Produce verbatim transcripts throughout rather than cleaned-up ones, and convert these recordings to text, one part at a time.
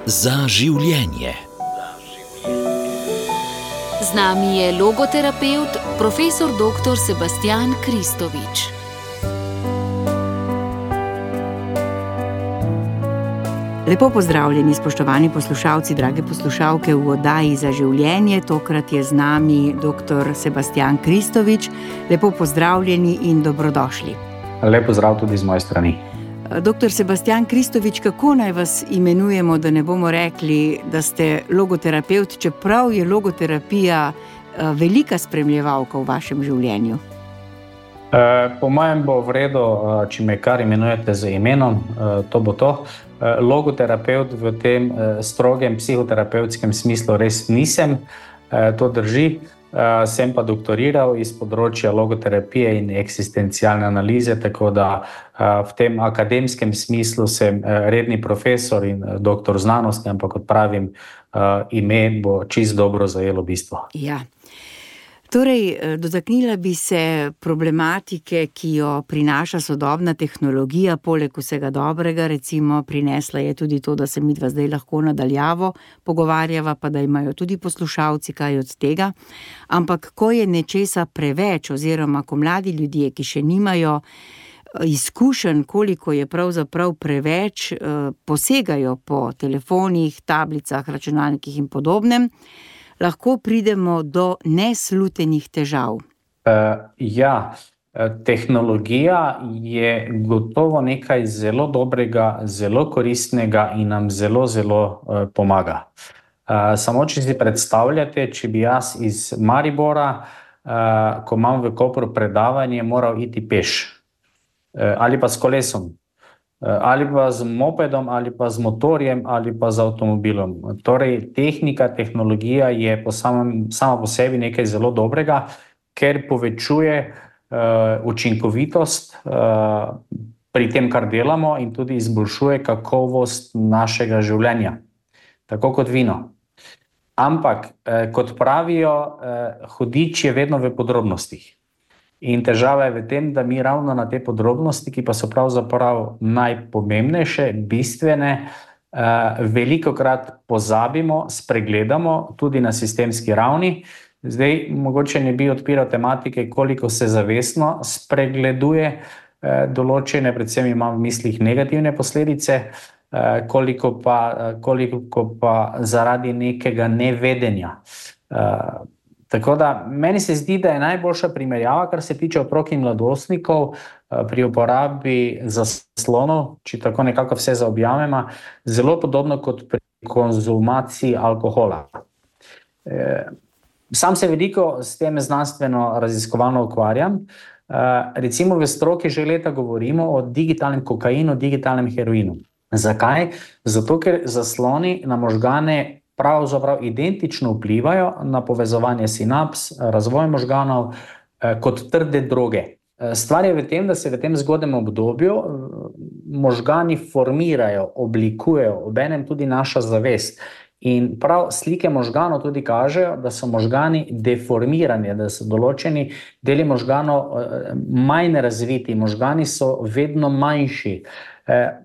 Za življenje. Z nami je logoterapevt, profesor doktor Sebastijan Kristovič. Lepo pozdravljeni, spoštovani poslušalci, drage poslušalke v oddaji Za življenje. Tokrat je z nami doktor Sebastijan Kristovič. Lepo pozdravljeni in dobrodošli. Lep pozdrav tudi z moje strani. Doktor Sebastijan Kristovič, kako naj vas imenujemo, da ne bomo rekli, da ste logoterapevt, čeprav je logoterapija velika spremljevalka v vašem življenju? Po mojem bo v redu, če me kar imenujete z imenom, to bo to. Logoterapevt v tem strogem psihoterapevtskem smislu res nisem, to drži. Sem pa doktoriral iz področja logoterapije in eksistencialne analize, tako da v tem akademskem smislu sem redni profesor in doktor znanosti, ampak kot pravim, ime bo čisto dobro zajelo bistvo. Ja. Torej, dotaknila bi se problematike, ki jo prinaša sodobna tehnologija, poleg vsega dobrega, recimo prinesla je tudi to, da se midva zdaj lahko nadaljavo pogovarjava, pa da imajo tudi poslušalci kaj od tega. Ampak ko je nečesa preveč, oziroma ko mladi ljudje, ki še nimajo izkušenj, koliko je pravzaprav preveč, posegajo po telefonih, tablicah, računalnikih in podobnem, lahko pridemo do neslutenih težav. Uh, ja, tehnologija je gotovo nekaj zelo dobrega, zelo koristnega in nam zelo, zelo uh, pomaga. Uh, samo, če si predstavljate, če bi jaz iz Maribora, uh, ko imam v Kopru predavanje, moral iti peš. Uh, ali pa s kolesom. Ali pa z mopedom, ali pa z motorjem, ali pa z avtomobilom. Torej, tehnika, tehnologija je po samem, sama po sebi nekaj zelo dobrega, ker povečuje uh, učinkovitost uh, pri tem, kar delamo, in tudi izboljšuje kakovost našega življenja. Tako kot vino. Ampak, eh, kot pravijo, eh, hudič je vedno v podrobnostih. In težava je v tem, da mi ravno na te podrobnosti, ki pa so pravzaprav najpomembnejše, bistvene, velikokrat pozabimo, spregledamo tudi na sistemski ravni. Zdaj, mogoče ne bi odpiral tematike, koliko se zavestno spregleduje določene, predvsem imam v mislih negativne posledice, koliko pa, koliko pa zaradi nekega nevedenja. Tako da, meni se zdi, da je najboljša primerjava, kar se tiče otrok in mladostnikov pri uporabi zaslonov, če tako nekako vse zaobjamemo, zelo podobno kot pri konzumaciji alkohola. Sam se veliko s tem znanstveno raziskovalno ukvarjam. Recimo v stroki že leta govorimo o digitalnem kokainu, digitalnem heroinu. Zakaj? Zato, ker zasloni na možgane pravzaprav identično vplivajo na povezovanje sinaps, razvoj možganov kot trde droge. Stvar je v tem, da se v tem zgodnjem obdobju možgani formirajo, oblikujejo, obenem tudi naša zavest. In prav slike možganov tudi kažejo, da so možgani deformirani, da so določeni deli možganov manj razviti, možgani so vedno manjši.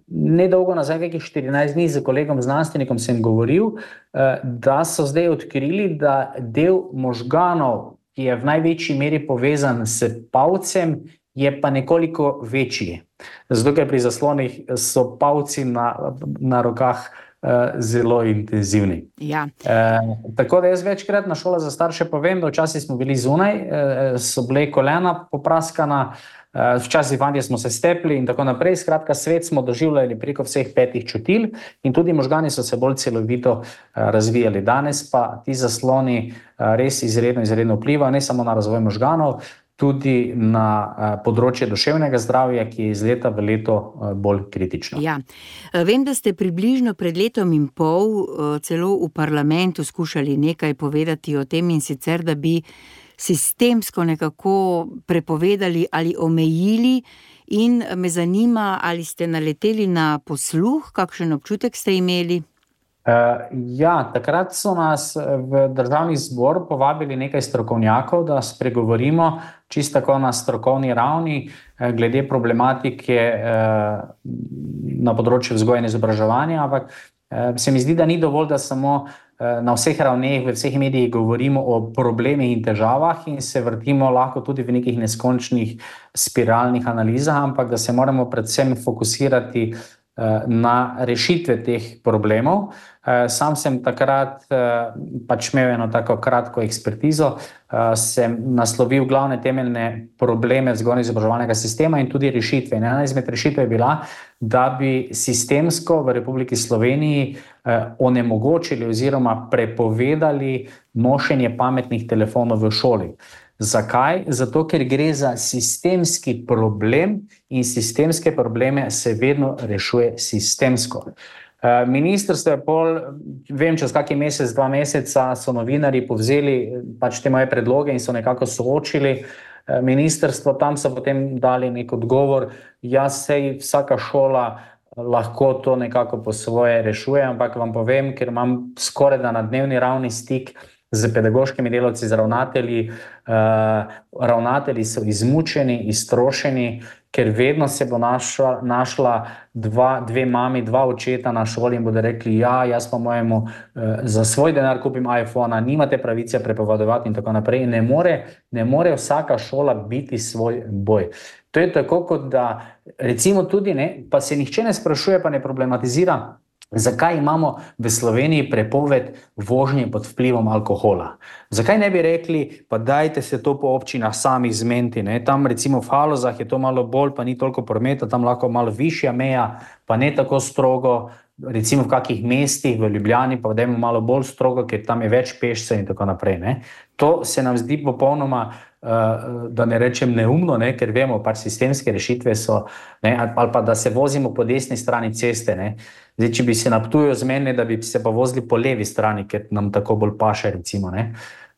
Nedolgo nazaj, kakih štirinajst dni z kolegom znanstvenikom sem govoril, da so zdaj odkrili, da del možganov, ki je v največji meri povezan s palcem, je pa nekoliko večji. Zato, ker pri zaslonih so palci na, na rokah zelo intenzivni. Ja. E, tako da jaz večkrat na šolah za starše povem, da včasih smo bili zunaj, so bile kolena popraskana, včasih vanje smo se stepli in tako naprej. Skratka, svet smo doživljali preko vseh petih čutil in tudi možgani so se bolj celovito razvijali. Danes pa ti zasloni res izredno, izredno vplivajo ne samo na razvoj možganov, tudi na področje duševnega zdravja, ki je iz leta v leto bolj kritično. Ja. Vem, da ste približno pred letom in pol celo v parlamentu skušali nekaj povedati o tem, in sicer, da bi sistemsko nekako prepovedali ali omejili, in me zanima, ali ste naleteli na posluh, kakšen občutek ste imeli? Uh, ja, takrat so nas v Državni zbor povabili nekaj strokovnjakov, da spregovorimo čisto tako na strokovni ravni glede problematike uh, na področju vzgoje in izobraževanja, ampak Se mi zdi, da ni dovolj, da samo na vseh ravneh, v vseh medijih govorimo o problemih in težavah in se vrtimo lahko tudi v nekih neskončnih spiralnih analizah, ampak da se moramo predvsem fokusirati na rešitve teh problemov. Sam sem takrat pač imel eno tako kratko ekspertizo, sem naslovil glavne temeljne probleme vzgojno-izobraževalnega sistema in tudi rešitve. Ena izmed rešitev je bila, da bi sistemsko v Republiki Sloveniji onemogočili oziroma prepovedali nošenje pametnih telefonov v šoli. Zakaj? Zato, ker gre za sistemski problem in sistemske probleme se vedno rešuje sistemsko. Ministrstvo je pol, vem, čez kakšen mesec, dva meseca so novinarji povzeli pač te moje predloge in so nekako soočili ministrstvo, tam so potem dali nek odgovor, jaz sej vsaka šola lahko to nekako po svoje rešuje, ampak vam povem, ker imam skoraj da na dnevni ravni stik z pedagoškimi delavci, z ravnatelji. Ravnatelji so izmučeni, iztrošeni, ker vedno se bo našla, našla dva, dve mami, dva očeta na šoli in bodo rekli, ja, jaz pa mojemu za svoj denar kupim iPhona, nimate pravice prepovedovati in tako naprej. Ne more, ne more vsaka šola biti svoj boj. To je tako, kot da recimo tudi, ne, pa se nihče ne sprašuje, pa ne problematizira, zakaj imamo v Sloveniji prepoved vožnje pod vplivom alkohola. Zakaj ne bi rekli, pa dajte se to po občinah samih zmeniti, ne? Tam recimo v Halozah je to malo bolj, pa ni toliko prometa, tam lahko malo višja meja, pa ne tako strogo, recimo v kakih mestih, v Ljubljani, pa dajmo malo bolj strogo, ker tam je več pešcev in tako naprej, ne? To se nam zdi popolnoma, da ne rečem neumno, ne? Ker vemo, pač sistemske rešitve so, ne? Ali pa da se vozimo po desni strani ceste, ne? Zdaj, če bi se na Ptuju zmenili, da bi se pa vozili po levi strani, ker nam tako bolj paše, recimo, ne?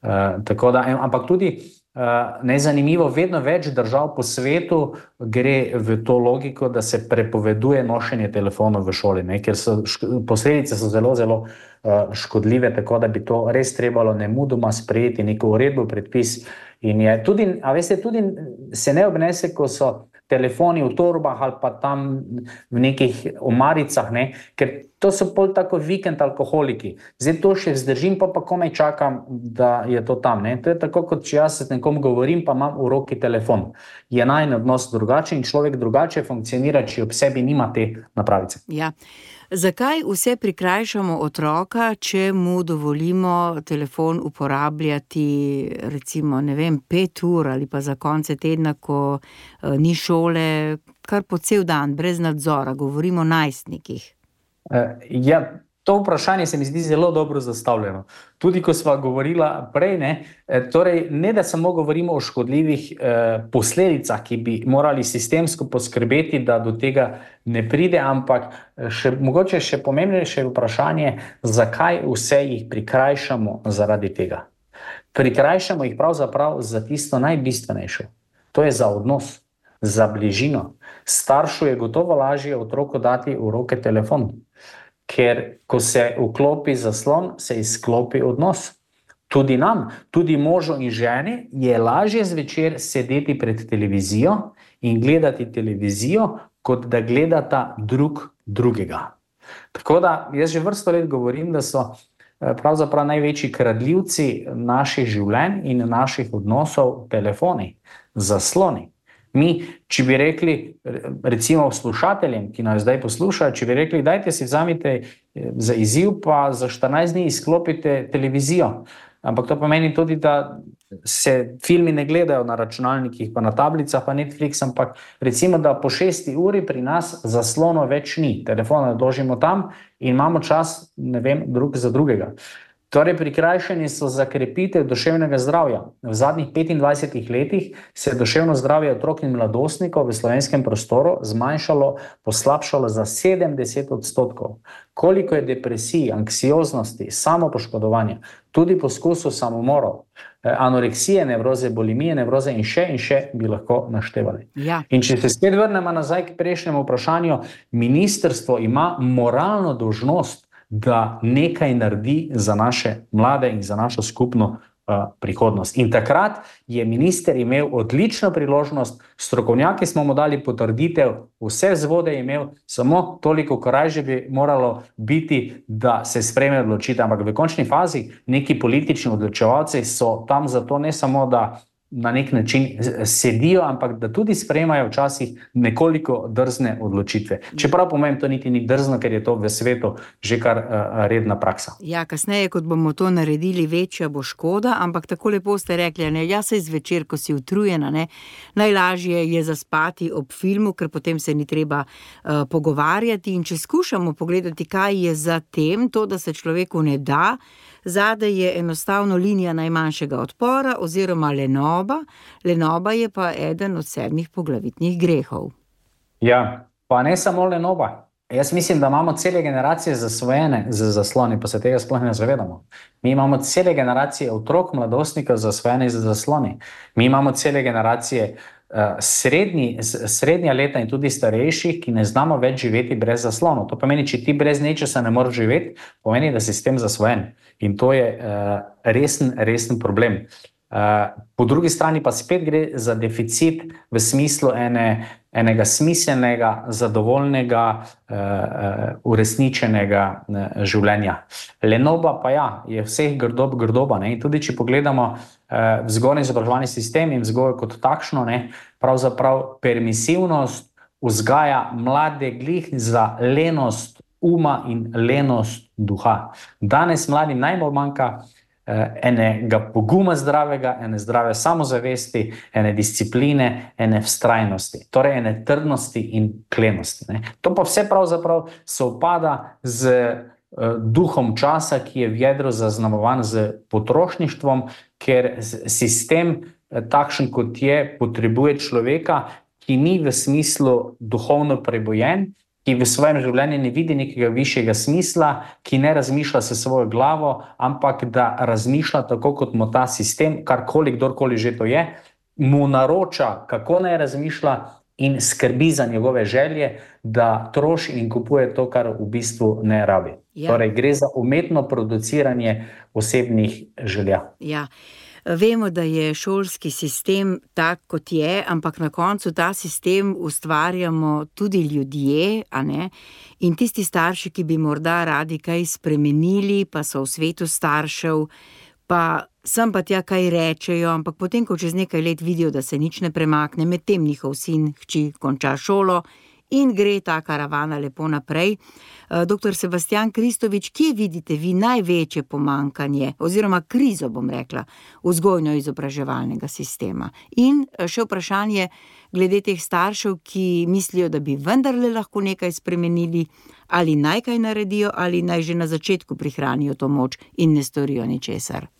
Uh, tako da, ampak tudi uh, nezanimivo, vedno več držav po svetu gre v to logiko, da se prepoveduje nošenje telefonov v šoli, ne? Ker so, posledice so zelo, zelo uh, škodljive, tako da bi to res trebalo nemudoma sprejeti, neko uredbo, predpis. In je tudi, a veste, tudi se ne obnese, ko so telefoni v torbah ali pa tam v nekih omaricah, ne? Ker to so pol tako vikend alkoholiki. Zdaj to še zdržim, pa pa komaj čakam, da je to tam, ne? To je tako, kot če jaz s nekom govorim, pa imam v roki telefon. Je najin odnos drugačen in človek drugače funkcionira, če ob sebi nima te napravice. Ja. Zakaj vse prikrajšamo otroka, če mu dovolimo telefon uporabljati recimo, ne vem, pet ur ali pa za konce tedna, ko uh, ni šole, kar po cel dan, brez nadzora, govorimo o najstnikih? Uh, ja, to vprašanje se mi zdi zelo dobro zastavljeno. Tudi ko sva govorila prej, ne, torej ne da samo govorimo o škodljivih eh, posledicah, ki bi morali sistemsko poskrbeti, da do tega ne pride, ampak še, mogoče še pomembnejše vprašanje, zakaj vse jih prikrajšamo zaradi tega. Prikrajšamo jih pravzaprav za tisto najbistvenejše. To je za odnos, za bližino. Staršu je gotovo lažje otroku dati v roke telefon. Ker ko se vklopi zaslon, se izklopi odnos. Tudi nam, tudi možu in ženi je lažje zvečer sedeti pred televizijo in gledati televizijo, kot da gledata drug drugega. Tako da jaz že vrsto let govorim, da so pravzaprav največji kradljivci naših življenj in naših odnosov telefoni, zasloni. Mi, če bi rekli, recimo slušateljem, ki nas zdaj poslušajo, če bi rekli, dajte si vzamite za izziv, pa za štirinajst dni izklopite televizijo. Ampak to pomeni tudi, da se filmi ne gledajo na računalnikih, pa na tablicah, pa Netflix, ampak recimo, da po šesti uri pri nas zaslono več ni. Telefon odložimo tam in imamo čas, ne vem, drug za drugega. Torej, prikrajšani so za krepitev duševnega zdravja. V zadnjih petindvajsetih letih se je duševno zdravje otrok in mladostnikov v slovenskem prostoru zmanjšalo, poslabšalo za sedemdeset odstotkov. Koliko je depresij, anksioznosti, samopoškodovanja, tudi poskusov samomorov, anoreksije, nevroze, bulimije, nevroze in še in še bi lahko naštevali. Ja. In če se spet vrnemo nazaj k prejšnjemu vprašanju, ministrstvo ima moralno dolžnost, da nekaj naredi za naše mlade in za našo skupno uh, prihodnost. In takrat je minister imel odlično priložnost, strokovnjaki smo mu dali potrditev, vse vzvode je imel, samo toliko korajže bi moralo biti, da se sprejme odločitev. Ampak v končni fazi neki politični odločevalci so tam zato ne samo, da na nek način sedijo, ampak da tudi sprejemajo včasih nekoliko drzne odločitve. Čeprav po mojem to niti ni drzno, ker je to v svetu že kar uh, redna praksa. Ja, kasneje, kot bomo to naredili, večja bo škoda, ampak tako lepo ste rekli, ne, ja, saj zvečer, ko si utrujena, ne, najlažje je zaspati ob filmu, ker potem se ni treba uh, pogovarjati, in če skušamo pogledati, kaj je za tem, to, da se človeku ne da, zadaj je enostavno linija najmanjšega odpora oziroma lenoba. Lenoba je pa eden od sedmih poglavitnih grehov. Ja, pa ne samo lenoba. Jaz mislim, da imamo cele generacije zasvojene z zasloni, pa se tega sploh ne zavedamo. Mi imamo cele generacije otrok, mladostnikov zasvojene z zasloni. Mi imamo cele generacije uh, srednji, srednja leta in tudi starejših, ki ne znamo več živeti brez zaslonov. To pomeni, če ti brez nečesa ne moreš živeti, pomeni, da si s tem zasvojen. In to je uh, resen, resen problem. Uh, po drugi strani pa spet gre za deficit v smislu ene, enega smiselnega, zadovoljnega, uh, uh, uresničenega uh, življenja. Lenoba pa ja, je vseh grdob grdoba. Ne? In tudi če pogledamo uh, vzgojni izobraževalni sistem in vzgojo kot takšno, ne, pravzaprav permisivnost vzgaja mlade glih za lenost uma in lenost duha. Danes mladim najbolj manjka enega poguma zdravega, ene zdrave samozavesti, ene discipline, ene vztrajnosti, torej ene trdnosti in klenosti. Ne. To pa vse pravzaprav sovpada z uh, duhom časa, ki je v jedru zaznamovan z potrošništvom, ker sistem uh, takšen kot je, potrebuje človeka, ki ni v smislu duhovno prebojen, ki v svojem življenju ne vidi nekega višjega smisla, ki ne razmišlja s svojo glavo, ampak da razmišlja tako, kot mu ta sistem, karkoli, kdorkoli že to je, mu naroča, kako naj razmišlja in skrbi za njegove želje, da troši in kupuje to, kar v bistvu ne rabi. Ja. Torej, gre za umetno produciranje osebnih želja. Ja. Vemo, da je šolski sistem tak, kot je, ampak na koncu ta sistem ustvarjamo tudi ljudje, a ne? In tisti starši, ki bi morda radi kaj spremenili, pa so v svetu staršev, pa sem pa tja kaj rečejo, ampak potem, ko čez nekaj let vidijo, da se nič ne premakne, medtem njihov sin, hči konča šolo in gre ta karavana lepo naprej. Doktor Sebastijan Kristovič, kje vidite vi največje pomankanje, oziroma krizo, bom rekla, vzgojno-izobraževalnega sistema? In še vprašanje glede teh staršev, ki mislijo, da bi vendarle lahko nekaj spremenili, ali naj kaj naredijo, ali naj že na začetku prihranijo to moč in ne storijo ničesar.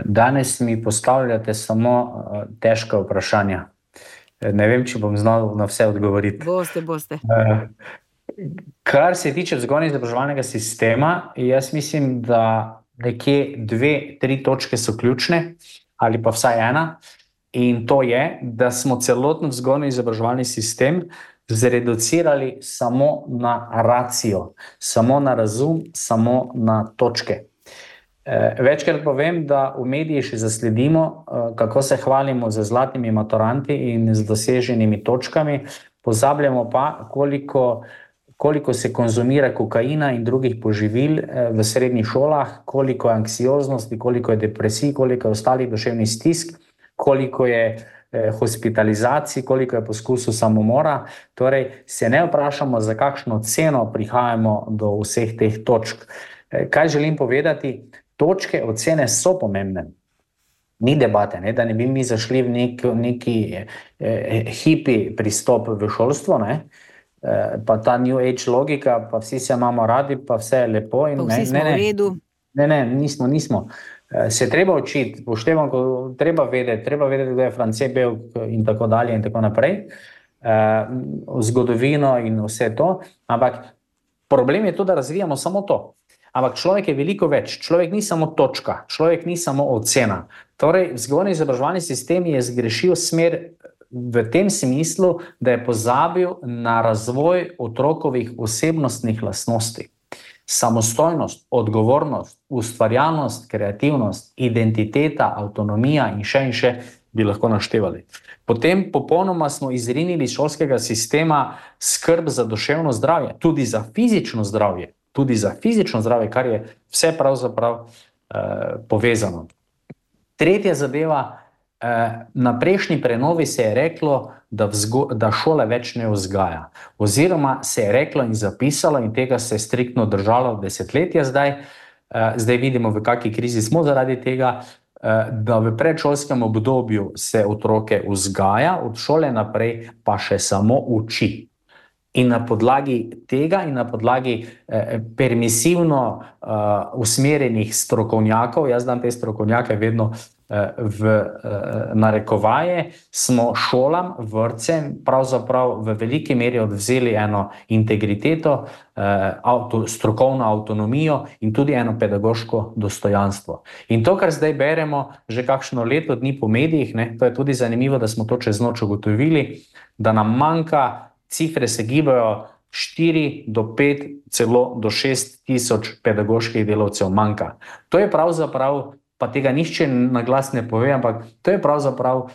Danes mi postavljate samo težka vprašanja. Ne vem, če bom znal na vse odgovoriti. Boste, boste. Kar se tiče vzgojno-izobraževalnega sistema, jaz mislim, da nekje dve, tri točke so ključne, ali pa vsaj ena, in to je, da smo celoten vzgojno-izobraževalni sistem zreducirali samo na racijo, samo na razum, samo na točke. Večkrat povem, da v mediji še zasledimo, kako se hvalimo z zlatimi maturanti in z doseženimi točkami, pozabljamo pa, koliko, koliko se konzumira kokaina in drugih poživil v srednjih šolah, koliko je anksioznosti, koliko je depresij, koliko je ostalih duševnih stisk, koliko je hospitalizacij, koliko je poskusov samomora. Torej, se ne vprašamo, za kakšno ceno prihajamo do vseh teh točk. Kaj želim povedati? Točke ocene so pomembne. Ni debate, ne? Da ne bi mi zašli v nek, neki eh, hipi pristop v šolstvo, ne? Eh, pa ta New Age logika, pa vsi se imamo radi, pa vse je lepo. In, pa vsi smo ne, ne, v redu. Ne, ne, nismo, nismo. Eh, se treba učiti, poštevamo, treba vedeti, treba vedeti, da je France Belk in tako dalje in tako naprej. Eh, zgodovino in vse to. Ampak problem je to, da razvijamo samo to. Ampak človek je veliko več. Človek ni samo točka, človek ni samo ocena. Torej, vzgojno-izobraževalni sistem je zgrešil smer v tem smislu, da je pozabil na razvoj otrokovih osebnostnih lastnosti. samostojnost, odgovornost, ustvarjalnost, kreativnost, identiteta, avtonomija in še in še bi lahko naštevali. Potem popolnoma smo izrinili iz šolskega sistema skrb za duševno zdravje, tudi za fizično zdravje, tudi za fizično zdravje, kar je vse pravzaprav eh, povezano. Tretja zadeva, eh, na prejšnji prenovi se je reklo, da, vzgo, da šola več ne vzgaja. Oziroma se je reklo in zapisalo in tega se je striktno držalo desetletja zdaj, eh, zdaj vidimo, v kakšni krizi smo zaradi tega, da v predšolskem obdobju se otroke vzgaja, od šole naprej pa še samo uči. In na podlagi tega in na podlagi eh, permisivno eh, usmerjenih strokovnjakov, jaz dam te strokovnjake vedno eh, v eh, narekovaje, smo šolam, vrtcem pravzaprav v veliki meri odvzeli eno integriteto, eh, avto, strokovno avtonomijo in tudi eno pedagoško dostojanstvo. In to, kar zdaj beremo že kakšno leto dni po medijih, ne, to je tudi zanimivo, da smo to čez noč ugotovili, da nam manjka, cifre se gibajo štiri do pet, celo do šest tisoč pedagoških delavcev manjka. To je pravzaprav, pa tega nihče na glas ne pove, ampak to je pravzaprav uh,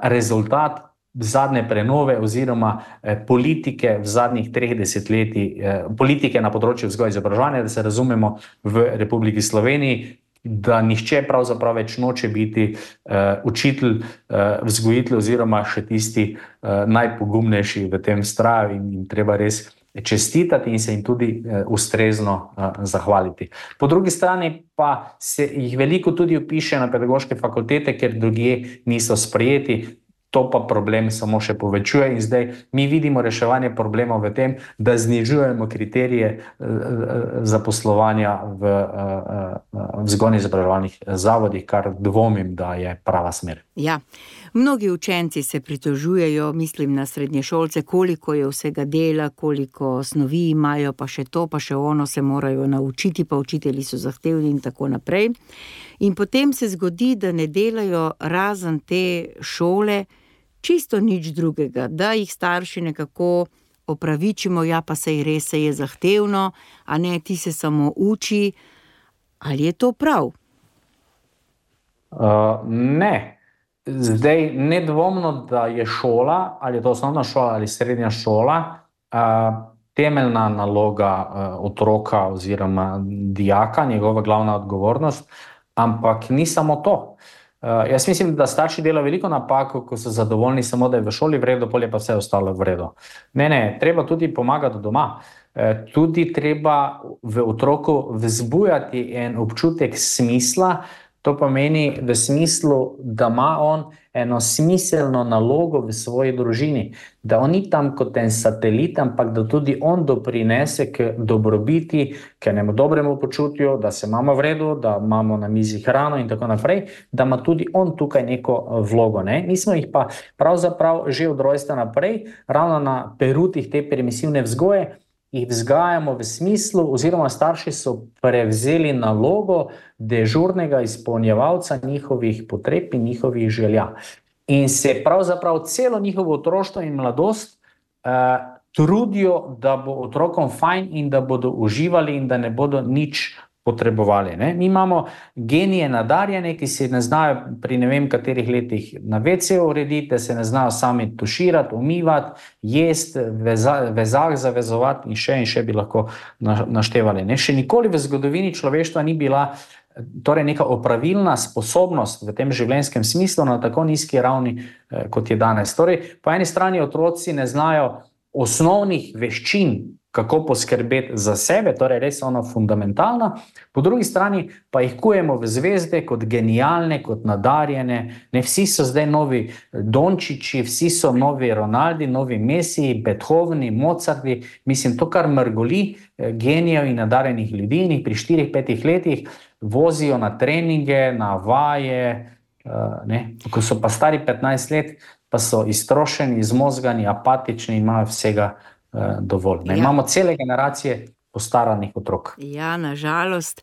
rezultat zadnje prenove oziroma eh, politike v zadnjih treh desetletij, eh, politike na področju vzgoje in izobraževanja, da se razumemo v Republiki Sloveniji, da nihče pravzaprav več noče biti uh, učitelj, uh, vzgojitelj oziroma še tisti uh, najpogumnejši v tem straju in jim treba res čestitati in se jim tudi uh, ustrezno uh, zahvaliti. Po drugi strani pa se jih veliko tudi vpiše na pedagoške fakultete, ker drugje niso sprejeti. To pa problem samo še povečuje in zdaj mi vidimo reševanje problemov v tem, da znižujemo kriterije zaposlovanja v vzgojno-izobraževalnih zavodih, kar dvomim, da je prava smer. Ja, mnogi učenci se pritožujejo, mislim na srednješolce, koliko je vsega dela, koliko snovi imajo, pa še to, pa še ono se morajo naučiti, pa učitelji so zahtevni in tako naprej. In potem se zgodi, da ne delajo razen te šole čisto nič drugega, da jih starši nekako opravičimo, ja pa sej res se je zahtevno, a ne, ti se samo uči. Ali je to prav? Uh, ne. Zdaj, nedvomno, da je šola, ali je to osnovna šola ali srednja šola, uh, temeljna naloga uh, otroka oziroma dijaka, njegova glavna odgovornost, ampak ni samo to. Uh, jaz mislim, da starši delajo veliko napako, ko so zadovoljni samo, da je v šoli v redu, polje pa vse ostalo v redu. Ne, ne, treba tudi pomagati doma. Uh, tudi treba v otroku vzbujati en občutek smisla, to pomeni v smislu, da ima on eno smiselno nalogo v svoji družini, da on ni tam kot en satelit, ampak da tudi on doprinese k dobrobiti, k enemu dobremu počutju, da se imamo v redu, da imamo na mizi hrano in tako naprej, da ima tudi on tukaj neko vlogo. Ne? Mi smo jih pa pravzaprav že od rojstva naprej, ravno na perutih te permisivne vzgoje, jih vzgajamo v smislu, oziroma starši so prevzeli nalogo dežurnega izpolnjevalca njihovih potreb in njihovih želja. In se pravzaprav celo njihovo otroštvo in mladost uh, trudijo, da bo otrokom fajn in da bodo uživali in da ne bodo nič potrebovali. Ne? Mi imamo genije nadarjene, ki se ne znajo pri ne vem katerih letih na ve ce urediti, da se ne znajo sami tuširati, umivati, jesti, veza, vezah zavezovati in še in še bi lahko naštevali. Ne? Še nikoli v zgodovini človeštva ni bila torej neka opravilna sposobnost v tem življenjskem smislu na tako nizki ravni, eh, kot je danes. Torej, po eni strani otroci ne znajo osnovnih veščin, kako poskrbeti za sebe, torej res ono fundamentalno, po drugi strani pa jih kujemo v zvezde kot genialne, kot nadarjene, ne, vsi so zdaj novi Dončići, vsi so novi Ronaldi, novi Messi, Beethoveni, Mozarti, mislim, to kar mrgoli genijev in nadarjenih ljudi in jih pri štirih, petih letih vozijo na treninge, na vaje, ne, ko so pa stari petnajst let, pa so iztrošeni, izmozgani, apatični in imajo vsega dovolj. Ne, ja. Imamo cele generacije postaranih otrok. Ja, nažalost.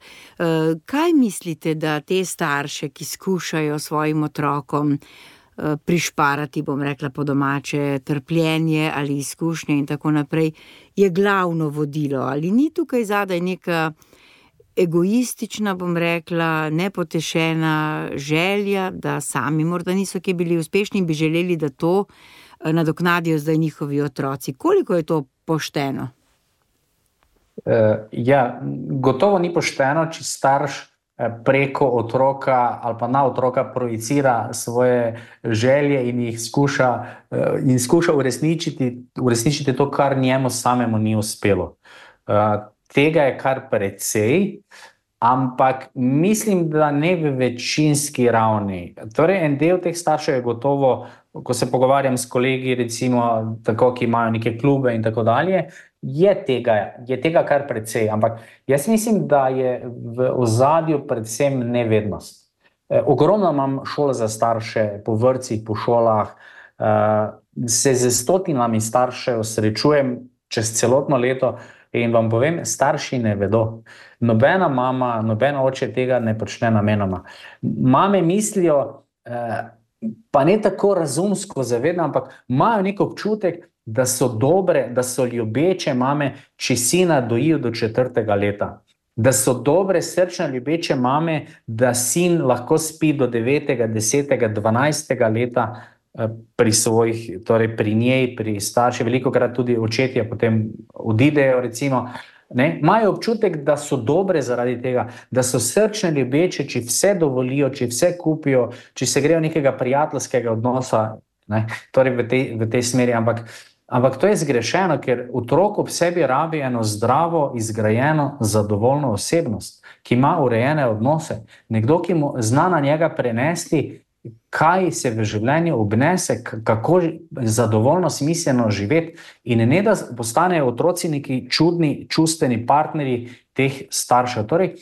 Kaj mislite, da te starše, ki skušajo svojim otrokom prišparati, bom rekla po domače, trpljenje ali izkušnje in tako naprej, je glavno vodilo. Ali ni tukaj zadaj neka egoistična, bom rekla, nepotešena želja, da sami morda niso kje bili uspešni in bi želeli, da to nadoknadijo zdaj njihovi otroci. Koliko je to pošteno? Uh, ja, gotovo ni pošteno, če starš preko otroka ali pa na otroka projicira svoje želje in jih skuša, in skuša uresničiti, uresničiti to, kar njemu samemu ni uspelo. Tega je kar precej, ampak mislim, da ne v večinski ravni. Torej, en del teh staršev je gotovo, ko se pogovarjam s kolegi, recimo tako, ki imajo neke klube in tako dalje, Je tega, je tega kar precej, ampak jaz mislim, da je v ozadju predvsem nevednost. E, ogromno imam šol za starše, po vrtcih, po šolah, e, se z stotinami staršev srečujem čez celotno leto in vam povem, starši ne vedo. Nobena mama, nobena oče tega ne počne namenoma. Mame mislijo, e, pa ne tako razumsko zavedno, ampak imajo nek občutek, da so dobre, da so ljubeče mame, če sina dojijo do četrtega leta. Da so dobre, srčne, ljubeče mame, da sin lahko spi do devetega, desetega, dvanajstega leta pri svojih, torej pri njej, pri starši, velikokrat tudi očetje potem odidejo, recimo. Ne? Imajo občutek, da so dobre zaradi tega, da so srčne, ljubeče, če vse dovolijo, če vse kupijo, če se grejo nekega prijateljskega odnosa, ne? Torej v tej, v tej smeri, ampak Ampak to je zgrešeno, ker otrok ob sebi rabi eno zdravo, izgrajeno, zadovoljno osebnost, ki ima urejene odnose. Nekdo, ki mu zna na njega prenesti, kaj se v življenju obnese, kako zadovoljno, smiselno živeti in ne da postanejo otroci neki čudni, čustveni partnerji teh staršev. Torej,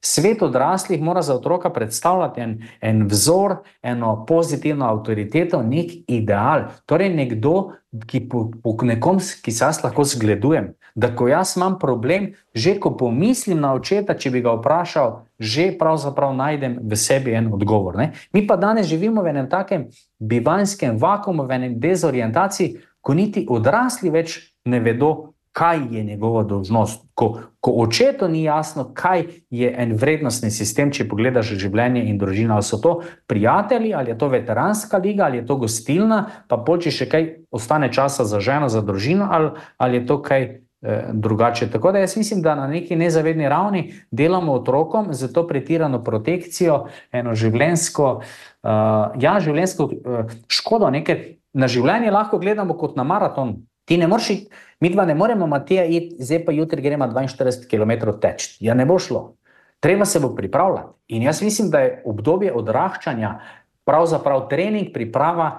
svet odraslih mora za otroka predstavljati en, en vzor, eno pozitivno avtoriteto, nek ideal. Torej nekdo, ki po, po nekom, ki se jaz lahko zgledujem, da ko jaz imam problem, že ko pomislim na očeta, če bi ga vprašal, že pravzaprav najdem v sebi en odgovor. Ne? Mi pa danes živimo v enem takem bivanskem vakuumu, v enem dezorientaciji, ko niti odrasli več ne vedo, kaj je njegova dolžnost. Ko, ko očetu ni jasno, kaj je en vrednostni sistem, če pogledaš življenje in družino, ali so to prijatelji, ali je to veteranska liga, ali je to gostilna, pa pol, če še kaj ostane časa za ženo, za družino, ali, ali je to kaj eh, drugače. Tako da jaz mislim, da na neki nezavedni ravni delamo otrokom za to pretirano protekcijo, eno življenjsko, uh, ja, življenjsko uh, škodo, nekaj na življenje lahko gledamo kot na maraton. Ti ne moreš, mi dva ne moremo, Matija, iti, zdaj pa jutri gremo dvainštirideset kilometrov teč. Ja, ne bo šlo. Treba se bo pripravljati. In jaz mislim, da je obdobje odraščanja pravzaprav trening, priprava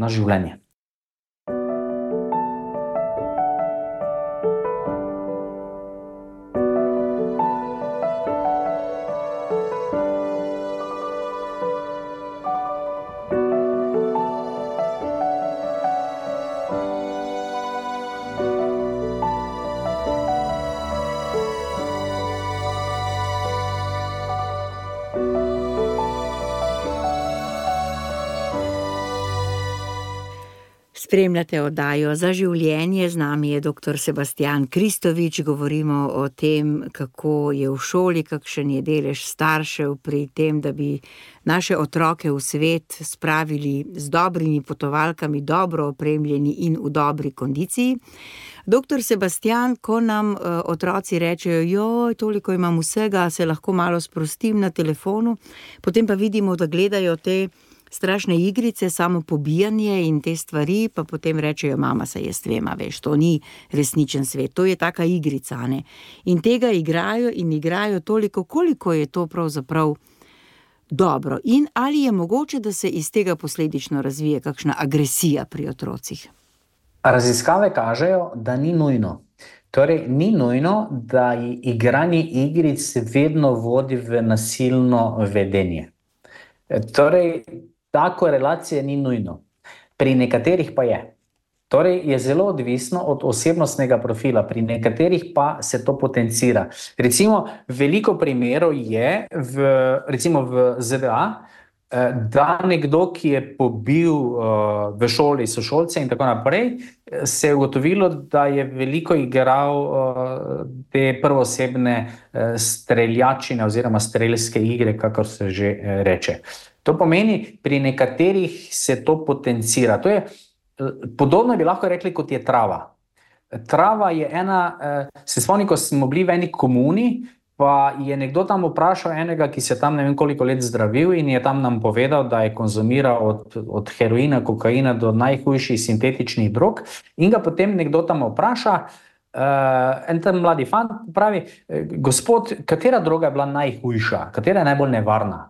na življenje. Spremljate oddajo Za življenje, z nami je doktor Sebastijan Kristovič, govorimo o tem, kako je v šoli, kakšen je delež staršev pri tem, da bi naše otroke v svet spravili z dobrimi potovalkami, dobro opremljeni in v dobri kondiciji. Doktor Sebastijan, ko nam uh, otroci rečejo, joj, toliko imam vsega, se lahko malo sprostim na telefonu, potem pa vidimo, da gledajo te strašne igrice, samo pobijanje in te stvari, pa potem rečejo, mama, se jaz vem, veš, to ni resničen svet, to je taka igrica, ne. In tega igrajo in igrajo toliko, koliko je to pravzaprav dobro. In ali je mogoče, da se iz tega posledično razvije kakšna agresija pri otrocih? Raziskave kažejo, da ni nujno. Torej, ni nujno, da igranje igric vedno vodi v nasilno vedenje. Torej, ta korelacija ni nujno. Pri nekaterih pa je. Torej, je zelo odvisno od osebnostnega profila, pri nekaterih pa se to potencira. Recimo, veliko primerov je v, recimo v Z D A, da nekdo, ki je pobil uh, v šoli sošolce in tako naprej, se je ugotovilo, da je veliko igral uh, te prvosebne uh, streljačine oziroma strelske igre, kakor se že uh, reče. To pomeni, pri nekaterih se to potencira. To je uh, podobno bi lahko rekli, kot je trava. Trava je ena, uh, se spomnim, ko smo bili v eni komuni, pa je nekdo tam vprašal enega, ki se tam ne vem koliko let zdravil in je tam nam povedal, da je konzumiral od, od heroina, kokaina do najhujših sintetičnih drog in ga potem nekdo tam vpraša, uh, en tam mladi fant pravi, gospod, katera droga je bila najhujša, katera je najbolj nevarna?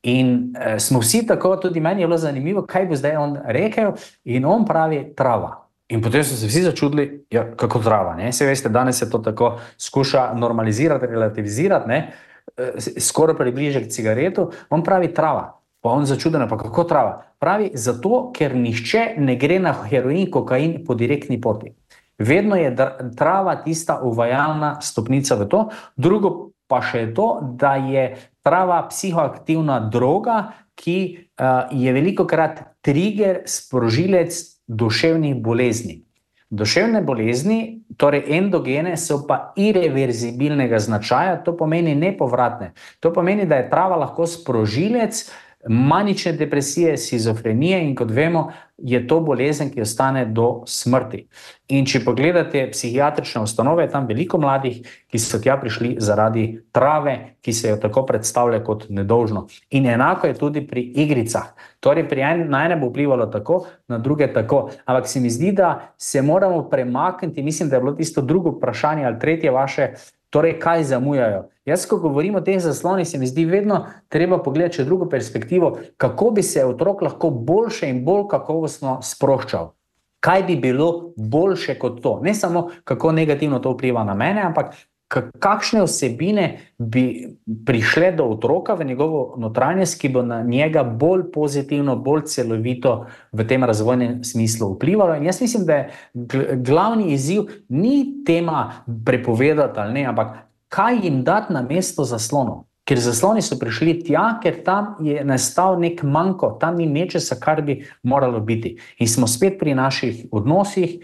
In uh, smo vsi tako, tudi meni je bilo zanimivo, kaj bo zdaj on rekel in on pravi trava. In potem so se vsi začudili, ja, kako trava, ne? Saj veste, danes se to tako skuša normalizirati, relativizirati, ne? Skoraj približe k cigaretu, on pravi trava. Pa on začuden, pa kako trava? Pravi, zato, ker nihče ne gre na heroin, kokain po direktni poti. Vedno je trava tista uvajalna stopnica v to. Drugo pa še je to, da je trava psihoaktivna droga, ki uh, je velikokrat trigger, sprožilec duševnih bolezni. Duševne bolezni, torej endogene, so pa irreverzibilnega značaja, to pomeni nepovratne. To pomeni, da je trava lahko sprožilec manične depresije, shizofrenije in kot vemo, je to bolezen, ki ostane do smrti. In če pogledate psihiatrične ustanove, je tam veliko mladih, ki so tja prišli zaradi trave, ki se jo tako predstavlja kot nedolžno. In enako je tudi pri igricah. Torej, pri en, na ene bo vplivalo tako, na druge tako. Ampak se mi zdi, da se moramo premakniti, mislim, da je bilo tisto drugo vprašanje ali tretje vaše, torej, kaj zamujajo. Jaz, ko govorim o teh zaslonih, se mi zdi vedno treba pogledati še drugo perspektivo, kako bi se otrok lahko boljše in bolj kakovostno sproščal. Kaj bi bilo boljše kot to? Ne samo, kako negativno to vpliva na mene, ampak kakšne vsebine bi prišle do otroka v njegovo notranjost, ki bo na njega bolj pozitivno, bolj celovito v tem razvojnem smislu vplivalo. In jaz mislim, da je glavni izziv ni tema prepovedati ali ne, ampak kaj jim dati na mesto zaslonov. Ker zasloni so prišli tja, ker tam je nastal nek manko, tam ni nečesa, kar bi moralo biti. In smo spet pri naših odnosih,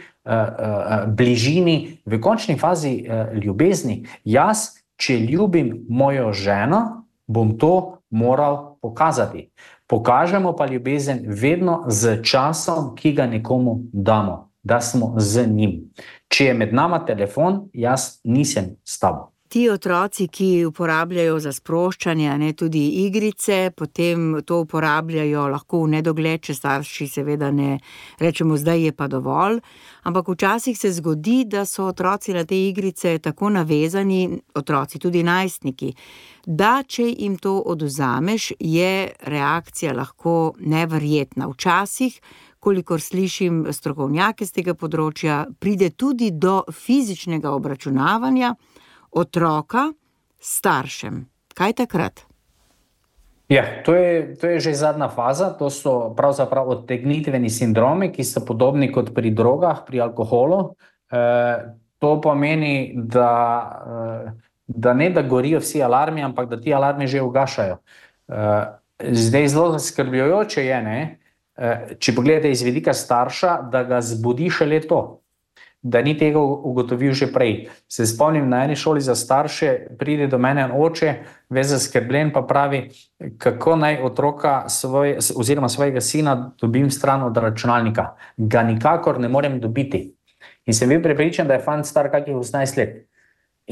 bližini, v končni fazi ljubezni. Jaz, če ljubim mojo ženo, bom to moral pokazati. Pokažemo pa ljubezen vedno z časom, ki ga nekomu damo, da smo z njim. Če je med nama telefon, jaz nisem s tabo. Ti otroci, ki uporabljajo za sproščanje, ne tudi igrice, potem to uporabljajo lahko v nedogled, če starši seveda ne rečemo, zdaj je pa dovolj, ampak včasih se zgodi, da so otroci na te igrice tako navezani, otroci tudi najstniki, da če jim to odvzameš, je reakcija lahko neverjetna. Včasih, kolikor slišim strokovnjake z tega področja, pride tudi do fizičnega obračunavanja otroka s staršem. Kaj takrat? Ja, to je, to je že zadnja faza, to so pravzaprav odtegnitveni sindromi, ki so podobni kot pri drogah, pri alkoholu. E, to pomeni, da, da ne da gorijo vsi alarmi, ampak da ti alarmi že ugašajo. E, zdaj zelo zaskrbljujoče je, ne, če pogledate iz vidika starša, da ga zbudi šele to, da ni tega ugotovil že prej. Se spomnim, na eni šoli za starše pride do mene oče, ves zaskrbljen, pa pravi, kako naj otroka svoj, oziroma svojega sina dobim stran od računalnika. Ga nikakor ne morem dobiti. In sem bil prepričan, da je fant star kakih osemnajst let.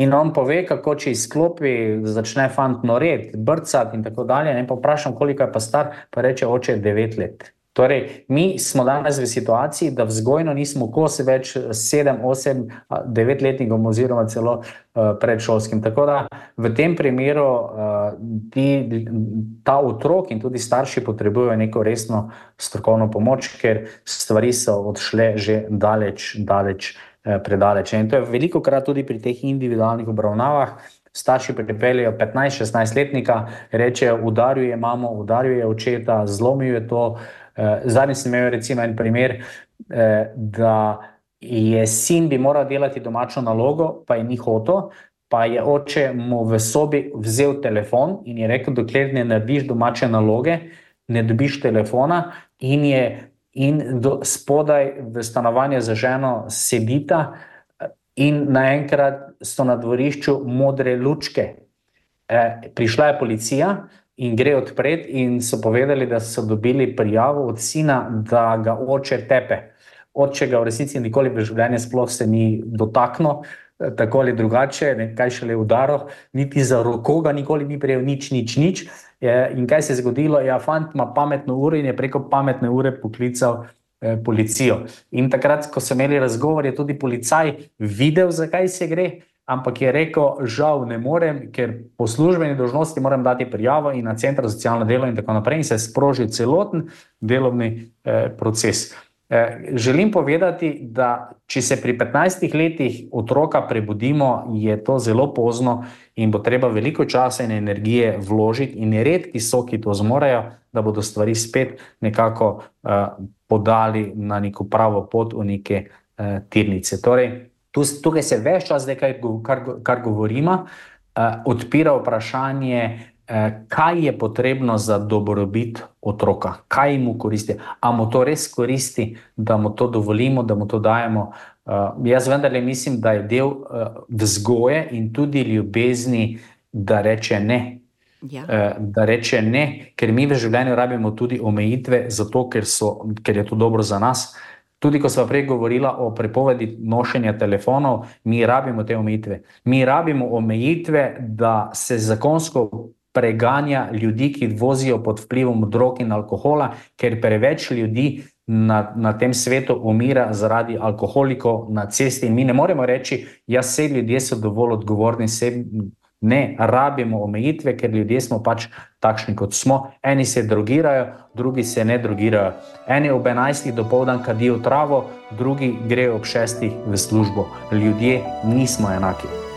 In on pove, kako če izklopi, začne fant noret, brcati in tako dalje. In pa vprašam, koliko je pa star, pa reče, oče, devet let. Torej, mi smo danes v situaciji, da vzgojno nismo kos več sedem, osem, devet letnikom oziroma celo uh, predšolskim. Tako da v tem primeru uh, ti, ta otrok in tudi starši potrebujejo neko resno strokovno pomoč, ker stvari so odšle že daleč, daleč, uh, predaleč. In to je veliko krat tudi pri teh individualnih obravnavah. Starši pripeljejo petnajst šestnajst letnika, rečejo, udaril je mamo, udaril je očeta, zlomil je to. Zadnji sem imel recimo en primer, da je sin bi moral delati domačo nalogo, pa je ni hotel, pa je oče mu v sobi vzel telefon in je rekel, dokler ne narediš domače naloge, ne dobiš telefona, in je in do, spodaj v stanovanju za ženo sedita in naenkrat so na dvorišču modre lučke. E, prišla je policija in gre odpret in so povedali, da so dobili prijavo od sina, da ga oče tepe. Oče ga v resnici nikoli v življenju sploh se ni dotaknil, tako ali drugače, ne, kaj šele udaril, niti za roko ga nikoli ni prejel, nič, nič, nič. Je, in kaj se je zgodilo? Ja, fant ima pametno uro in je preko pametne ure poklical eh, policijo. In takrat, ko so imeli razgovor, je tudi policaj videl, zakaj se gre, ampak je rekel, žal ne morem, ker po službeni dolžnosti moram dati prijavo in na center za socialno delo in tako naprej, in se je sprožil celoten delovni eh, proces. Želim povedati, da če se pri petnajstih letih otroka prebudimo, je to zelo pozno in bo treba veliko časa in energije vložiti, in redki so, ki to zmorejo, da bodo stvari spet nekako uh, podali na neko pravo pot v neke uh, tirnice. Torej, tu, tukaj se ves čas, kar, kar, kar govorimo, uh, odpira vprašanje, kaj je potrebno za dobrobit otroka, kaj mu koristi, a mu to res koristi, da mu to dovolimo, da mu to dajemo. Uh, jaz vendarle mislim, da je del uh, vzgoje in tudi ljubezni, da reče ne. Ja. Uh, da reče ne, ker mi v življenju rabimo tudi omejitve, zato ker, so, ker je to dobro za nas. Tudi ko sva prej govorila o prepovedi nošenja telefonov, mi rabimo te omejitve. Mi rabimo omejitve, da se zakonsko preganja ljudi, ki vozijo pod vplivom drog in alkohola, ker preveč ljudi na, na tem svetu umira zaradi alkoholikov na cesti. In mi ne moremo reči, ja, vse ljudje so dovolj odgovorni, se ne, rabimo omejitve, ker ljudje smo pač takšni, kot smo. Eni se drogirajo, drugi se ne drogirajo. Eni ob enajstih dopoldan kadijo travo, drugi grejo ob šestih v službo. Ljudje nismo enaki.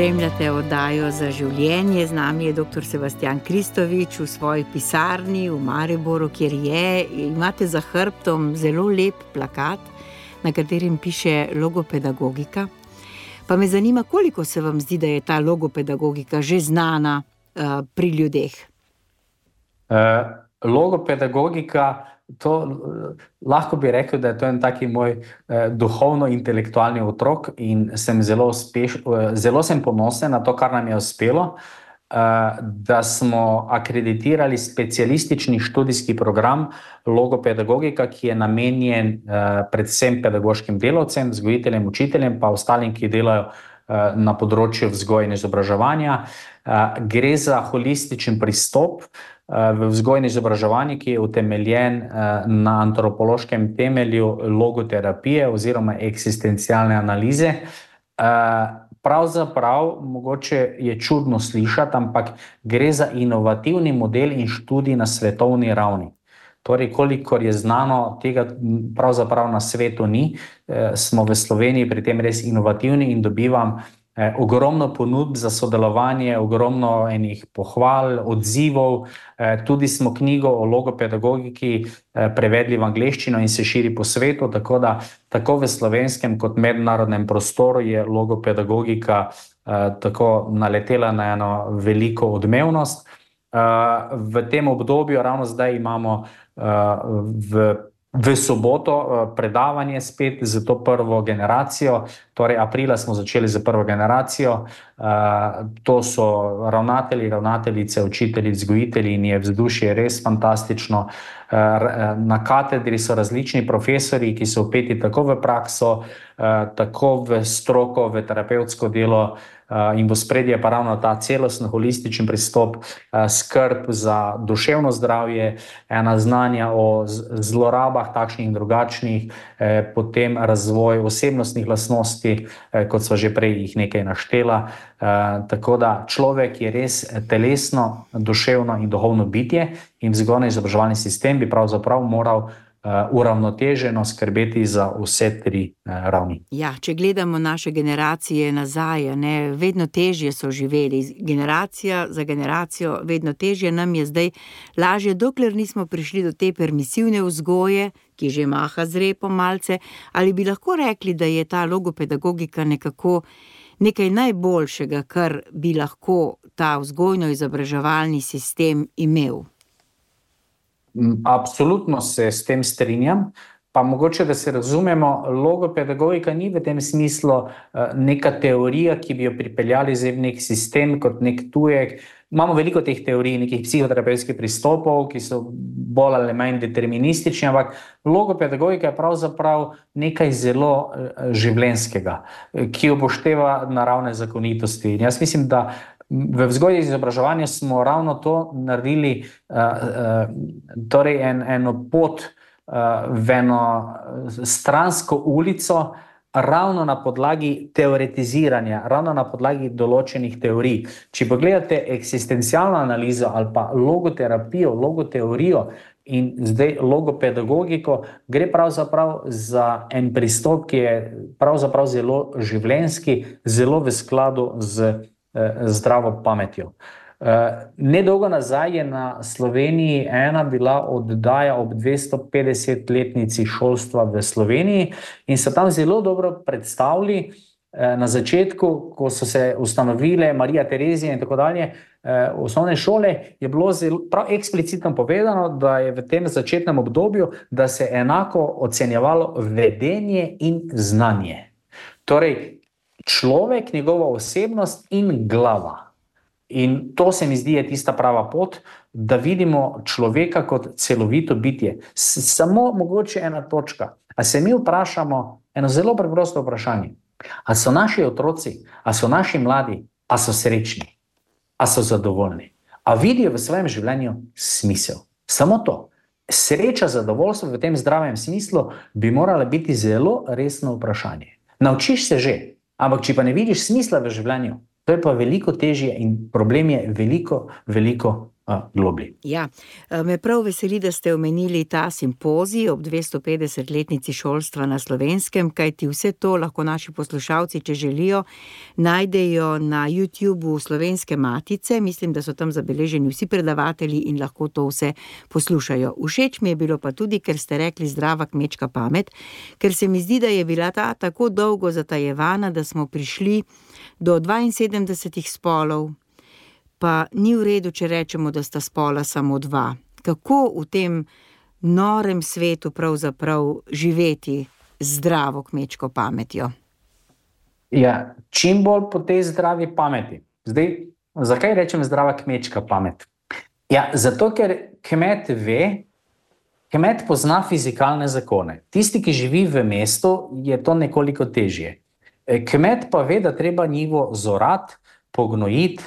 Spremljate oddajo Za življenje, z nami je doktor Sebastjan Kristovič v svoji pisarni v Mariboru, kjer je, imate za hrbtom zelo lep plakat, na katerem piše logopedagogika. Pa me zanima, koliko se vam zdi, da je ta logopedagogika že znana uh, pri ljudeh? Uh, logopedagogika, to lahko bi rekel, da je to en taki moj eh, duhovno-intelektualni otrok in sem zelo, uspeš, eh, zelo sem ponosen na to, kar nam je uspelo, eh, da smo akreditirali specialistični študijski program logopedagogika, ki je namenjen eh, predvsem pedagoškim delavcem, vzgojiteljem, učiteljem, pa ostalim, ki delajo eh, na področju vzgoje in izobraževanja. Eh, gre za holističen pristop v vzgojni izobraževanju, ki je utemeljen na antropološkem temelju logoterapije oziroma eksistencialne analize. Pravzaprav, mogoče je čudno slišati, ampak gre za inovativni model in študij na svetovni ravni. Torej, kolikor je znano, tega pravzaprav na svetu ni. Smo v Sloveniji pri tem res inovativni in dobivam Eh, ogromno ponudb za sodelovanje, ogromno enih pohval, odzivov. Eh, tudi smo knjigo o logopedagogiki eh, prevedli v angleščino in se širi po svetu, tako da tako v slovenskem kot mednarodnem prostoru je logopedagogika eh, tako naletela na eno veliko odmevnost. Eh, v tem obdobju, ravno zdaj imamo eh, v V soboto predavanje spet za to prvo generacijo, torej aprila smo začeli za prvo generacijo. To so ravnatelji, ravnateljice, učitelji, vzgojitelji in je vzdušje res fantastično. Na katedri so različni profesori, ki so vpeti tako v prakso, tako v stroko, v terapevtsko delo, in v ospredje pa ravno ta celostno holističen pristop, skrb za duševno zdravje, ena znanja o zlorabah takšnih in drugačnih, potem razvoj osebnostnih lastnosti, kot sva že prej jih nekaj naštela. Tako da človek je res telesno, duševno in duhovno bitje in vzgojno-izobraževalni sistem bi pravzaprav moral Uh, uravnoteženo skrbeti za vse tri uh, ravni. Ja, če gledamo naše generacije nazaj, ne, vedno težje so živeli, generacija za generacijo, vedno težje nam je zdaj lažje, dokler nismo prišli do te permisivne vzgoje, ki že maha z repom malce, ali bi lahko rekli, da je ta logopedagogika nekako nekaj najboljšega, kar bi lahko ta vzgojno-izobraževalni sistem imel? Absolutno se s tem strinjam, pa mogoče, da se razumemo, logopedagogika ni v tem smislu neka teorija, ki bi jo pripeljali zdaj v nek sistem kot nek tujek. Imamo veliko teh teorij, nekih psihoterapevtskih pristopov, ki so bolj ali manj deterministični, ampak logopedagogika je pravzaprav nekaj zelo življenjskega, ki upošteva naravne zakonitosti. In jaz mislim, da v vzgoji in izobraževanju smo ravno to naredili, uh, uh, torej en, eno pot uh, v eno stransko ulico, ravno na podlagi teoretiziranja, ravno na podlagi določenih teorij. Če pogledate eksistencialno analizo ali pa logoterapijo, logoteorijo in zdaj logopedagogiko, gre pravzaprav za en pristop, ki je pravzaprav zelo življenjski, zelo v skladu z zdravo pametjo. Nedolgo nazaj je na Sloveniji ena bila oddaja ob dvestopetdesetletnici šolstva v Sloveniji in so tam zelo dobro predstavili na začetku, ko so se ustanovile Marija Terezija in tako dalje, osnovne šole, je bilo zelo, prav eksplicitno povedano, da je v tem začetnem obdobju, da se enako ocenjevalo vedenje in znanje. Torej, človek, njegova osebnost in glava. In to se mi zdi je tista prava pot, da vidimo človeka kot celovito bitje. Samo mogoče ena točka. A se mi vprašamo eno zelo preprosto vprašanje. A so naši otroci, a so naši mladi, a so srečni, a so zadovoljni, a vidijo v svojem življenju smisel. Samo to. Sreča, zadovoljstvo v tem zdravem smislu bi morala biti zelo resno vprašanje. Naučiš se že, ampak če pa ne vidiš smisla v življenju, to je pa veliko težje in problem je veliko, veliko uh, globlji. Ja, me prav veseli, da ste omenili ta simpozij ob dvestopetdesetletnici šolstva na Slovenskem, kajti vse to lahko naši poslušalci, če želijo, najdejo na YouTubeu Slovenske matice. Mislim, da so tam zabeleženi vsi predavatelji in lahko to vse poslušajo. Všeč mi je bilo pa tudi, ker ste rekli zdrava kmečka pamet, ker se mi zdi, da je bila ta tako dolgo zatajevana, da smo prišli do dvainsedemdesetih spolov, pa ni v redu, če rečemo, da sta spola samo dva. Kako v tem norem svetu pravzaprav živeti zdravo kmečko pametjo? Ja, čim bolj po tej zdravi pameti. Zdaj, zakaj rečem zdrava kmečka pamet? Ja, zato, ker kmet ve, kmet pozna fizikalne zakone. Tisti, ki živi v mestu, je to nekoliko težje. Kmet pa ve, da treba njivo zorati, pognojiti,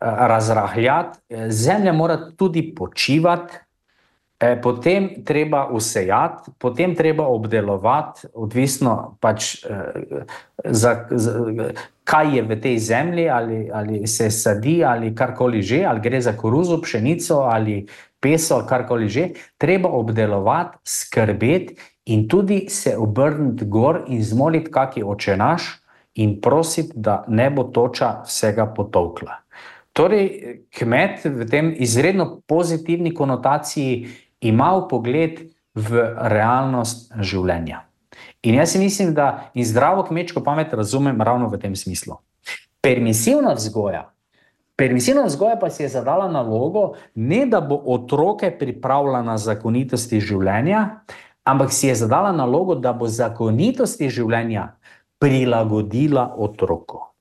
razrahljati, zemlja mora tudi počivati, potem treba usejati, potem treba obdelovati, odvisno pač za, za, kaj je v tej zemlji, ali, ali se sadi, ali karkoli že, ali gre za koruzo, pšenico, ali peso, karkoli že, treba obdelovati, skrbeti in tudi se obrniti gor in zmoliti kaki oče naš in prositi, da ne bo toča vsega potolkla. Torej, kmet v tem izredno pozitivni konotaciji ima vpogled v realnost življenja. In jaz mislim, da in zdravo kmečko pamet razumem ravno v tem smislu. Permisivna vzgoja, permisivna vzgoja pa si je zadala nalogo, ne da bo otroke pripravila na zakonitosti življenja, ampak si je zadala nalogo, da bo zakonitosti življenja prilagodila otroku.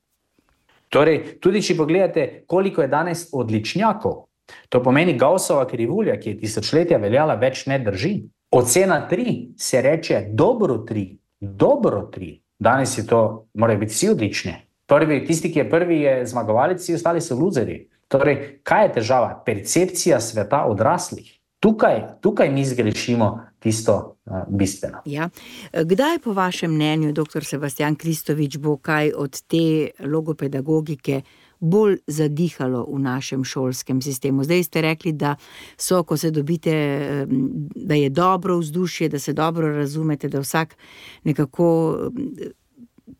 Torej, tudi če pogledate, koliko je danes odličnjakov, to pomeni Gaussova krivulja, ki je tisočletja veljala, več ne drži. Ocena tri se reče dobro tri, dobro tri. Danes je to, morajo biti vsi odlični. Prvi, tisti, ki je prvi, je zmagovalec, vsi ostali so luzerji. Torej, kaj je težava? Percepcija sveta odraslih. Tukaj, tukaj mi zgrešimo tisto uh, bistveno. Ja. Kdaj po vašem mnenju, doktor Sebastijan Kristovič, bo kaj od te logopedagogike bolj zadihalo v našem šolskem sistemu? Zdaj ste rekli, da so, ko se dobite, da je dobro vzdušje, da se dobro razumete, da vsak nekako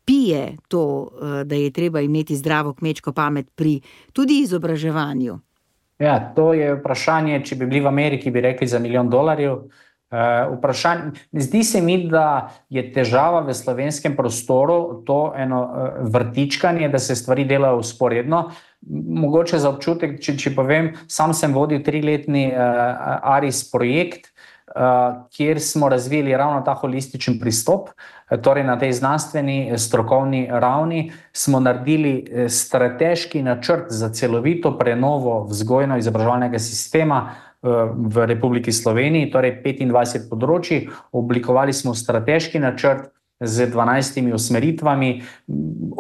pije to, da je treba imeti zdravo kmečko pamet pri tudi izobraževanju. Ja, to je vprašanje, če bi bili v Ameriki, bi rekli za milijon dolarjev. Uh, vprašanje, zdi se mi, da je težava v slovenskem prostoru to eno uh, vrtičkanje, da se stvari delajo vzporedno. Mogoče za občutek, če, če povem, sam sem vodil triletni uh, ARIS projekt, uh, kjer smo razvili ravno ta holističen pristop. Torej na tej znanstveni, strokovni ravni smo naredili strateški načrt za celovito prenovo vzgojno-izobraževalnega sistema v Republiki Sloveniji, torej petindvajset področij. Oblikovali smo strateški načrt z dvanajstimi usmeritvami.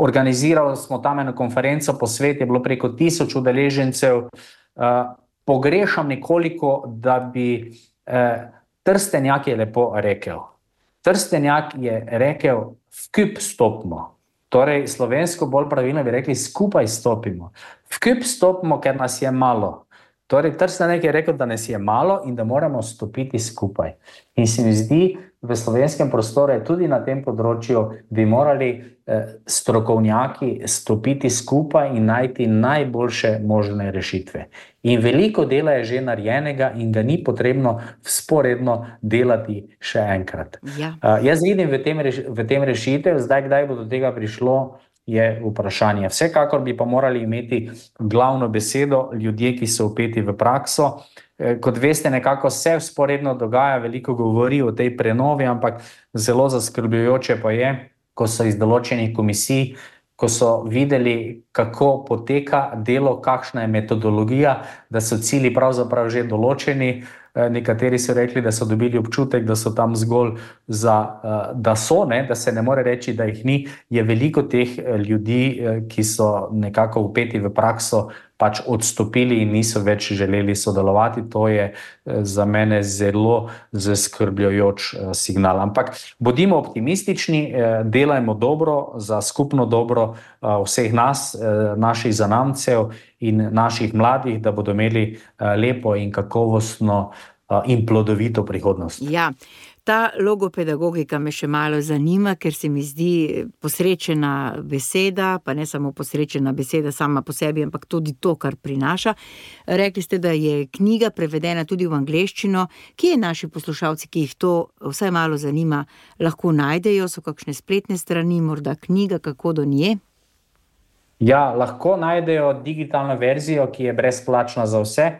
Organizirali smo tam eno konferenco po svetu, je bilo preko tisoč udeležencev. Pogrešam nekoliko, da bi Trstenjak je lepo rekel. Trstenjak je rekel, vkup stopimo. Torej, slovensko bolj pravilno bi rekli, skupaj stopimo. Vkup stopimo, ker nas je malo. Torej, Trstenjak je rekel, da nas je malo in da moramo stopiti skupaj. In se mi zdi, v slovenskem prostoru tudi na tem področju bi morali eh, strokovnjaki stopiti skupaj in najti najboljše možne rešitve. In veliko dela je že narejenega in ga ni potrebno vzporedno delati še enkrat. Ja. Uh, jaz vidim v tem, reš v tem rešitev, zdaj kdaj bo do tega prišlo, je vprašanje. Vsekakor bi pa morali imeti glavno besedo ljudje, ki so vpeti v prakso. Kot veste, nekako se vzporedno dogaja, veliko govori o tej prenovi, ampak zelo zaskrbljujoče pa je, ko so iz določenih komisij, ko so videli, kako poteka delo, kakšna je metodologija, da so cilji pravzaprav že določeni. Nekateri so rekli, da so dobili občutek, da so tam zgolj za, da so, ne, da se ne more reči, da jih ni. Je veliko teh ljudi, ki so nekako vpeti v prakso, pač odstopili in niso več želeli sodelovati. To je za mene zelo zaskrbljujoč signal. Ampak bodimo optimistični, delajmo dobro za skupno dobro vseh nas, naših zanamcev in naših mladih, da bodo imeli lepo in kakovostno in plodovito prihodnost. Ja, ta logopedagogika me še malo zanima, ker se mi zdi posrečena beseda, pa ne samo posrečena beseda sama po sebi, ampak tudi to, kar prinaša. Rekli ste, da je knjiga prevedena tudi v angleščino. Kje naši poslušalci, ki jih to vsaj malo zanima, lahko najdejo? So kakšne spletne strani, morda knjiga, kako do nje? Ja, lahko najdejo digitalno verzijo, ki je brezplačna za vse.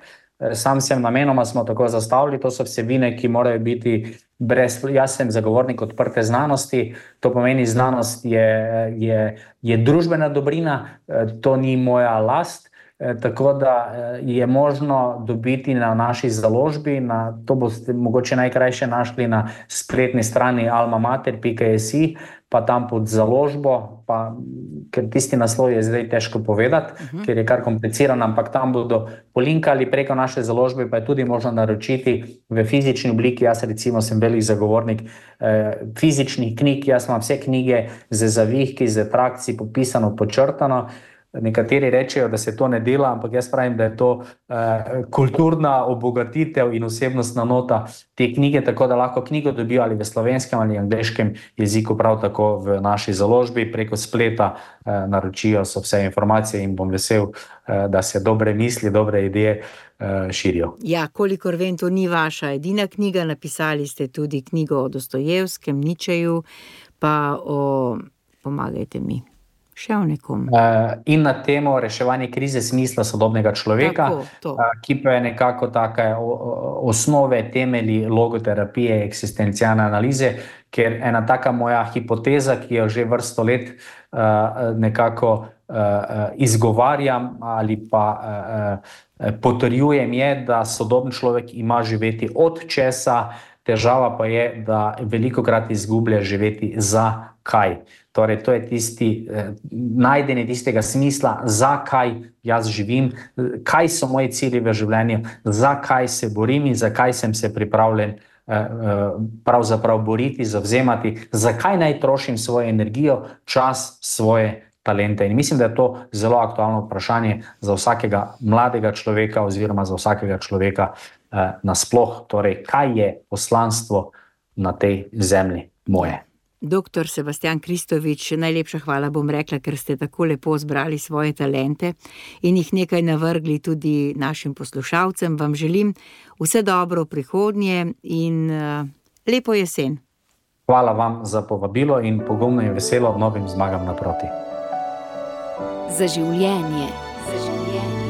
Sam sem namenoma smo tako zastavili, to so vsebine, ki morajo biti brez, jaz sem zagovornik odprte znanosti, to pomeni znanost je, je, je družbena dobrina, to ni moja last, tako da je možno dobiti na naši založbi, na, to boste mogoče najkrajše našli na spletni strani almamater pika si, pa tam pod založbo, pa, ker tisti naslov je zdaj težko povedati, uh-huh. ker je kar kompliciran, ampak tam bodo polinkali preko naše založbe, pa je tudi možno naročiti v fizični obliki. Jaz recimo sem velik zagovornik eh, fizičnih knjig, jaz imam vse knjige z zavihki, z trakci, popisano, počrtano. Nekateri rečejo, da se to ne dela, ampak jaz pravim, da je to eh, kulturna obogatitev in osebnostna nota te knjige, tako da lahko knjigo dobijo ali v slovenskem ali angleškem jeziku, prav tako v naši založbi, preko spleta eh, naročijo so vse informacije in bom vesel, eh, da se dobre misli, dobre ideje eh, širijo. Ja, kolikor vem, to ni vaša edina knjiga, napisali ste tudi knjigo o Dostojevskem, Ničeju, pa o, pomagajte mi. Še o nekom. In na temo reševanje krize smisla sodobnega človeka, tako, ki pa je nekako take osnove, temelji logoterapije, eksistencialne analize, ker ena taka moja hipoteza, ki jo že vrsto let nekako izgovarjam ali pa potrjujem, je, da sodobni človek ima živeti od česa, težava pa je, da velikokrat izgublja živeti za kaj. Torej, to je tisti eh, najdenje tistega smisla, zakaj jaz živim, kaj so moji cilji v življenju, zakaj se borim in zakaj sem se pripravljen eh, eh, pravzaprav boriti, zavzemati, zakaj naj trošim svojo energijo, čas, svoje talente. In mislim, da je to zelo aktualno vprašanje za vsakega mladega človeka oziroma za vsakega človeka eh, nasploh. Torej, kaj je poslanstvo na tej zemlji moje? Doktor Sebastijan Kristovič, najlepša hvala, bom rekla, ker ste tako lepo zbrali svoje talente in jih nekaj navrgli tudi našim poslušalcem. Vam želim vse dobro v prihodnje in uh, lepo jesen. Hvala vam za povabilo in pogumno in veselo novim zmagam naproti. Za življenje. Za življenje.